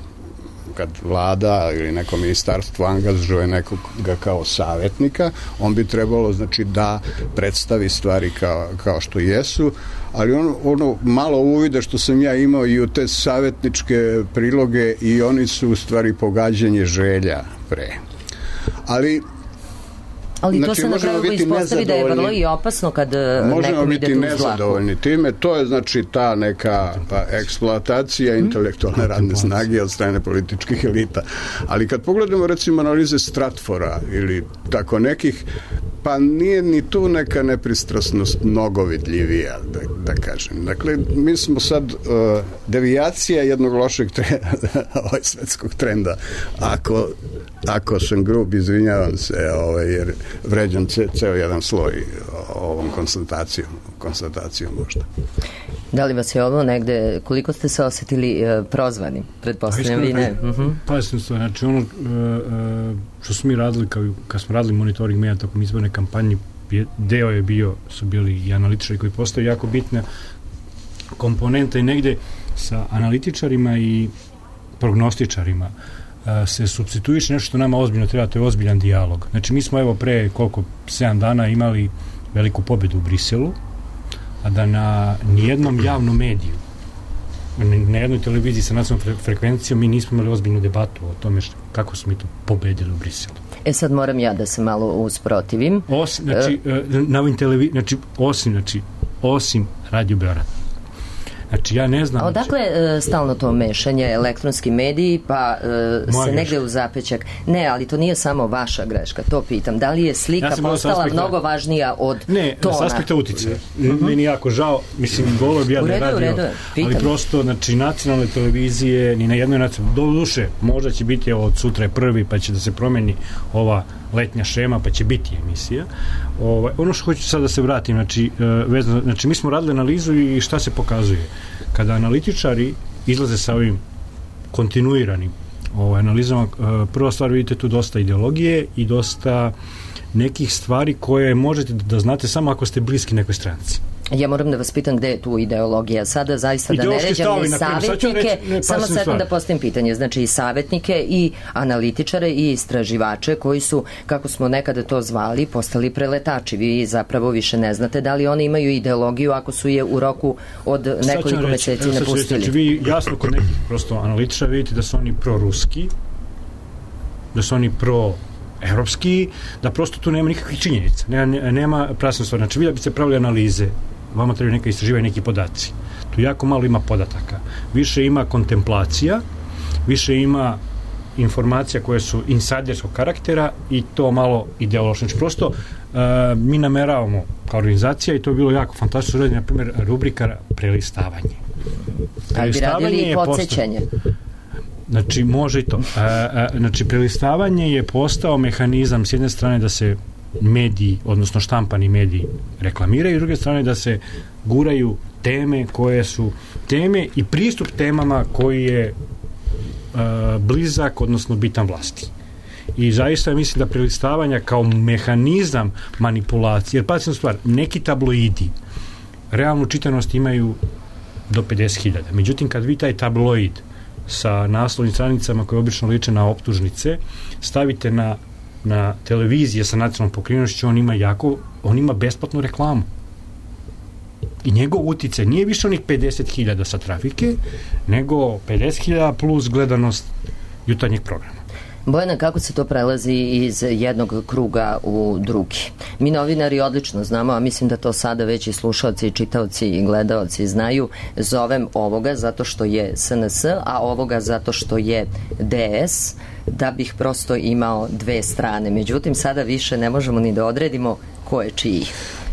kad vlada ili neko ministarstvo angažuje nekoga kao savjetnika, on bi trebalo, znači, da predstavi stvari kao, kao što jesu, ali ono, ono malo uvide što sam ja imao i u te savjetničke priloge, i oni su u stvari pogađanje želja pre. Ali Ali znači, to se na kraju ispostavi da je vrlo i opasno kad nekom ide tu zlaku. Možemo biti nezadovoljni time. To je, znači, ta neka pa, eksploatacija mm. intelektualne radne snage od strane političkih elita. Ali kad pogledamo, recimo, analize Stratfora ili tako nekih, pa nije ni tu neka nepristrasnost mnogo vidljivija, da, da kažem. Dakle, mi smo sad uh, devijacija jednog lošeg trenda, ovaj svetskog trenda. Ako, ako sam grub, izvinjavam se, ovaj, jer vređam ce, ceo jedan sloj ovom konstatacijom, konstatacijom možda. Da li vas je ovo negde, koliko ste se osetili uh, prozvani? Pretpostavljam vi ne. Uh-huh. Pa sam to, znači ono uh, što smo mi radili, kao, kad smo radili monitoring medija tokom izborne kampanje, deo je bio, su bili i analitičari koji postaju jako bitna komponenta, i negde sa analitičarima i prognostičarima se supstituiše nešto što nama ozbiljno treba, to je ozbiljan dijalog. Znači, mi smo evo pre koliko, sedam dana imali veliku pobedu u Briselu, a da na nijednom javnom mediju na jednoj televiziji sa nacionalnom frekvencijom mi nismo imali ozbiljnu debatu o tome što, kako smo mi to pobedili u Briselu. E sad moram ja da se malo usprotivim. Osim, znači, uh, na ovim televi... znači, osim, znači, osim Radio Beograd. Znači, ja ne znam... A odakle e, stalno to mešanje, elektronski mediji, pa e, se negde greška. U zapećak... Ne, ali to nije samo vaša greška, to pitam. Da li je slika ja postala aspekta... mnogo važnija od ne, tona? Ne, s aspekta uticaja. Uh-huh. Meni jako žao, mislim, volio bi ja da je radio, ali prosto, znači, nacionalne televizije, ni na jednoj nacionalnoj... Do duše, možda će biti, evo, od sutra je prvi, pa će da se promeni ova letnja šema, pa će biti emisija. Ovaj, ono što hoću sad da se vratim, znači, vezano, znači mi smo radili analizu i šta se pokazuje. Kada analitičari izlaze sa ovim kontinuiranim ovaj, analizama, prva stvar, vidite tu dosta ideologije i dosta nekih stvari koje možete da znate samo ako ste bliski nekoj stranci. Ja moram da vas pitam gde je tu ideologija sada, zaista da ne ređam ni savjetnike, samo sad da postavim pitanje, znači i savjetnike i analitičare i istraživače koji su, kako smo nekada to zvali, postali preletači. Vi zapravo više ne znate da li oni imaju ideologiju ako su je u roku od nekoliko meseci napustili. Znači vi jasno kod nekih prosto analitičara vidite da su oni proruski, da su oni pro evropski, da prosto tu nema nikakvih činjenica, nema, nema prasne stvari. Znači, vi da biste pravili analize, vama trebaju neka istraživanja, neki podaci. Tu jako malo ima podataka. Više ima kontemplacija, više ima informacija koje su insajderskog karaktera i to malo ideološno. Znači, prosto uh, mi nameravamo kao organizacija i to je bilo jako fantastično raditi, na primjer, rubrika prelistavanje. Ali bi radili i podsjećanje. Znači, može i to. A, a, znači, prelistavanje je postao mehanizam s jedne strane da se mediji, odnosno štampani mediji reklamiraju, s druge strane da se guraju teme koje su teme i pristup temama koji je a, blizak, odnosno bitan vlasti. I zaista mislim da prelistavanja kao mehanizam manipulacije, jer pazite stvar, neki tabloidi realnu čitanost imaju do pedeset hiljada. Međutim, kad vi taj tabloid sa naslovnim stranicama koje obično liče na optužnice, stavite na, na televizije sa nacionalnom pokrivenošću, on ima jako, on ima besplatnu reklamu. I njegov uticaj nije više onih pedeset hiljada sa trafike, nego pedeset hiljada plus gledanost jutarnjeg programa. Bojana, kako se to prelazi iz jednog kruga u drugi? Mi novinari odlično znamo, a mislim da to sada već i slušalci, i čitaoci i gledaoci znaju, zovem ovoga zato što je S N S, a ovoga zato što je D S, da bih prosto imao dve strane. Međutim, sada više ne možemo ni da odredimo ko je čiji.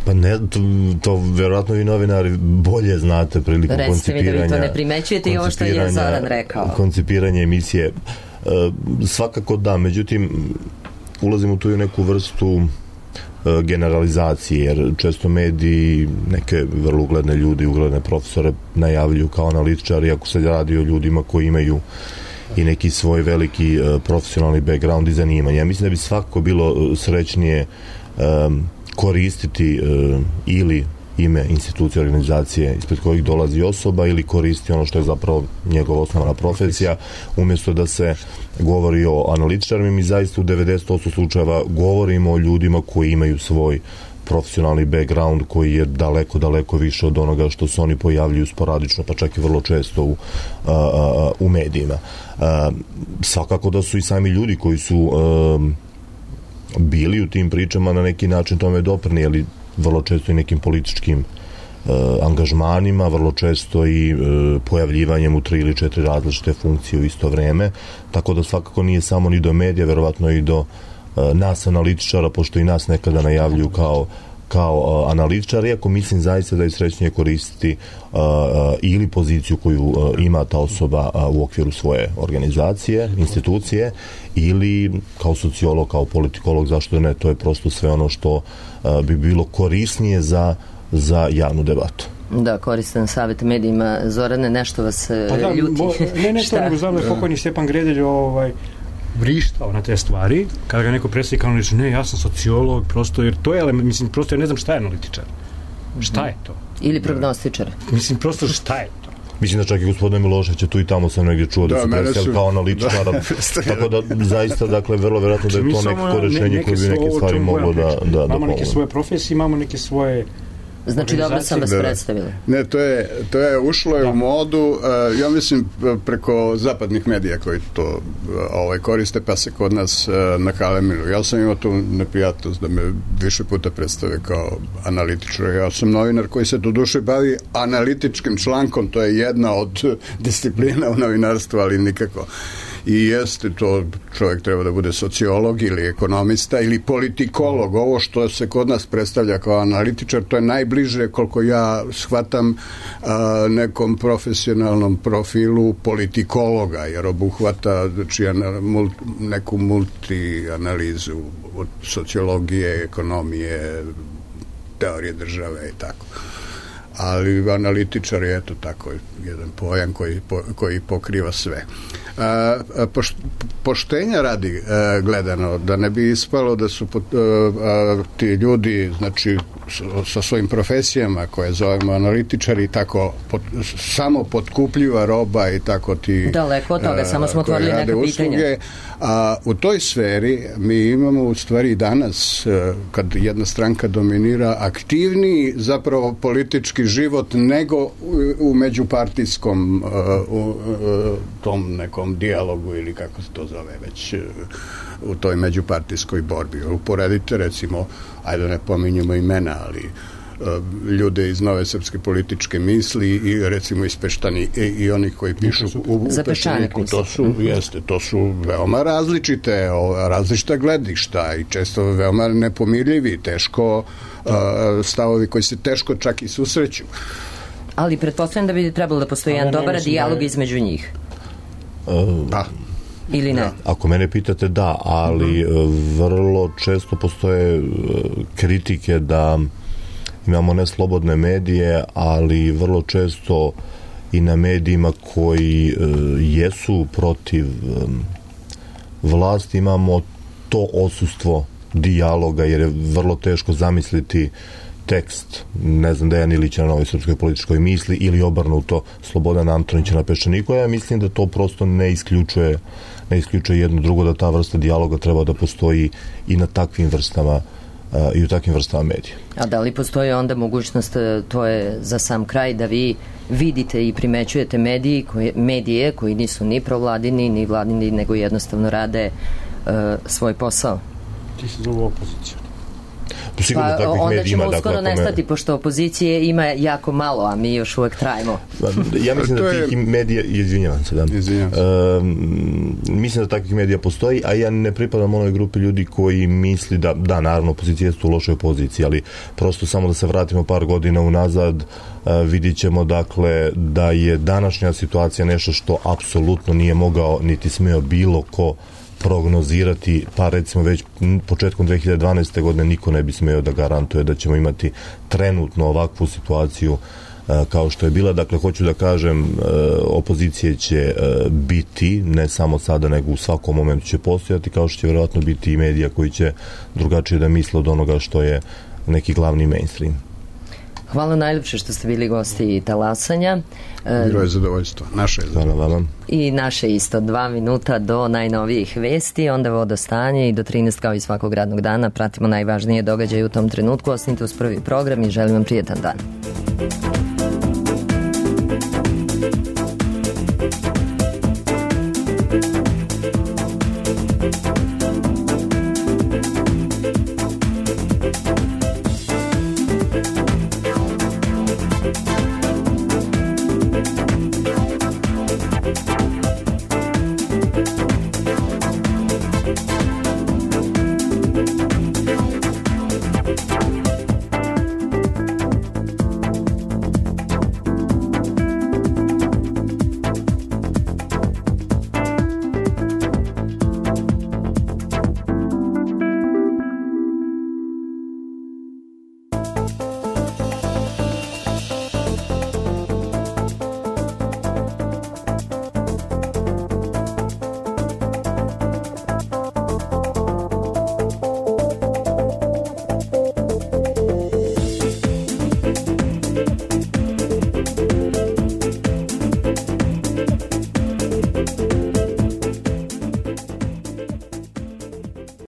Pa ne, to, to verovatno vi novinari bolje znate prilikom Recite koncipiranja. Recite mi da vi to ne primećujete i ovo što je Zoran rekao. Koncipiranje emisije. Uh, svakako da, međutim ulazimo tu i u neku vrstu uh, generalizacije, jer često mediji neke vrlo ugledne ljudi, ugledne profesore najavljuju kao analitičari, ako se radi o ljudima koji imaju i neki svoj veliki uh, profesionalni background i zanimanje. Ja mislim da bi svakako bilo srećnije um, koristiti uh, ili ime institucije, organizacije ispred kojih dolazi osoba ili koristi ono što je zapravo njegova osnovna profesija, umjesto da se govori o analitičarima. Mi zaista u devedeset posto slučajeva govorimo o ljudima koji imaju svoj profesionalni background koji je daleko, daleko više od onoga što se oni pojavljuju sporadično, pa čak i vrlo često u, a, a, u medijima. A, svakako da su i sami ljudi koji su a, bili u tim pričama na neki način tome doprinijeli, vrlo često i nekim političkim e, angažmanima, vrlo često i e, pojavljivanjem u tri ili četiri različite funkcije u isto vreme, tako da svakako nije samo ni do medija, verovatno i do e, nas analitičara, pošto i nas nekada najavljuju kao kao analitičar, iako mislim zaista da je srećnije koristiti uh, ili poziciju koju uh, ima ta osoba uh, u okviru svoje organizacije, institucije, ili kao sociolog, kao politikolog, zašto ne, to je prosto sve ono što uh, bi bilo korisnije za, za javnu debatu. Da, koristan savjet medijima. Zorane, nešto vas pa da, ljuti. Bo, ne, ne to, nego znam da je pokojni Stjepan Gredelj ovaj, vrištao na te stvari, kada ga neko predstavi kao reći, ne, ja sam sociolog, prosto, jer to je, mislim, prosto ja ne znam šta je analitičar. Šta je to? Ili prognostičar. Mislim, prosto šta je to? Mislim da čak i gospodine Milošević tu i tamo sam negdje čuo da, da su predstavili kao analitičara, da, tako da zaista, dakle, vrlo vjerojatno da je to nekako rešenje koje bi neke stvari moglo da, da, da imamo neke svoje profesije, imamo neke svoje Znači, dobro sam vas predstavili. Ne, to je, to je ušlo je u modu, ja mislim, preko zapadnih medija koji to ovaj, koriste, pa se kod nas nakalemilu. Ja sam imao tu neprijatnost da me više puta predstave kao analitičar. Ja sam novinar koji se do duše bavi analitičkim člankom, to je jedna od disciplina u novinarstvu, ali nikako. I jeste to, čovjek treba da bude sociolog ili ekonomista ili politikolog. Ovo što se kod nas predstavlja kao analitičar, to je najbliže, koliko ja shvatam, nekom profesionalnom profilu politikologa, jer obuhvata znači, neku multianalizu od sociologije, ekonomije, teorije države i tako. Ali analitičar je eto tako jedan pojam koji, koji pokriva sve. A, poš, poštenja radi a, gledano, da ne bi ispalo da su pot, a, a, ti ljudi znači sa svojim profesijama koje zovemo analitičari tako pot, samo potkupljiva roba i tako ti daleko od toga, a, samo smo otvorili neka pitanja. A u toj sferi mi imamo u stvari danas, kad jedna stranka dominira, aktivniji zapravo politički život nego u, u međupartijskom u, u tom nekom dijalogu ili kako se to zove već u toj međupartijskoj borbi. Uporedite recimo, ajde ne pominjemo imena, ali ljude iz nove srpske političke misli i recimo iz Peštani i, i oni koji pišu u, u Peštaniku, to su, jeste, to su veoma različite, različita gledišta i često veoma nepomirljivi, teško stavovi koji se teško čak i susreću. Ali pretpostavljam da bi trebalo da postoji jedan dobar dijalog je... između njih. Da. Ili ne? Ako mene pitate, da, ali mm-hmm. vrlo često postoje kritike da imamo neslobodne medije, ali vrlo često i na medijima koji e, jesu protiv e, vlasti imamo to odsustvo dijaloga, jer je vrlo teško zamisliti tekst, ne znam, Dejan Ilića na Novoj srpskoj političkoj misli ili obrnuto Slobodan Antonića na Peščaniku. Ja mislim da to prosto ne isključuje ne isključuje jedno drugo, da ta vrsta dijaloga treba da postoji i na takvim vrstama uh, i u takvim vrstama medija. A da li postoji onda mogućnost, to je za sam kraj, da vi vidite i primećujete mediji koje, medije koji nisu ni provladini ni vladini, nego jednostavno rade uh, svoj posao? Ti se zovu opoziciju. Pa onda ćemo uskoro dakle, nestati, me... pošto opozicije ima jako malo, a mi još uvek trajimo. Ja mislim da tih medija, izvinjavam se, da. Izvinjavam se. Uh, mislim da takvih medija postoji, a ja ne pripadam onoj grupi ljudi koji misli da, da, naravno, opozicija je u lošoj poziciji, ali prosto samo da se vratimo par godina unazad, uh, vidit ćemo, dakle, da je današnja situacija nešto što apsolutno nije mogao, niti smeo bilo ko prognozirati, pa recimo već početkom dve hiljade dvanaeste. godine niko ne bi smeo da garantuje da ćemo imati trenutno ovakvu situaciju uh, kao što je bila. Dakle, hoću da kažem, uh, opozicije će uh, biti, ne samo sada, nego u svakom momentu će postojati, kao što će vjerojatno biti i medija koji će drugačije da misle od onoga što je neki glavni mainstream. Hvala najljepše što ste bili gosti Talasanja. Bilo je zadovoljstvo. Naše je zadovoljstvo. I naše isto. Dva minuta do najnovijih vesti, onda vodostanje i do trinaest kao i svakog radnog dana pratimo najvažnije događaje u tom trenutku. Ostanite uz prvi program i želim vam prijetan dan.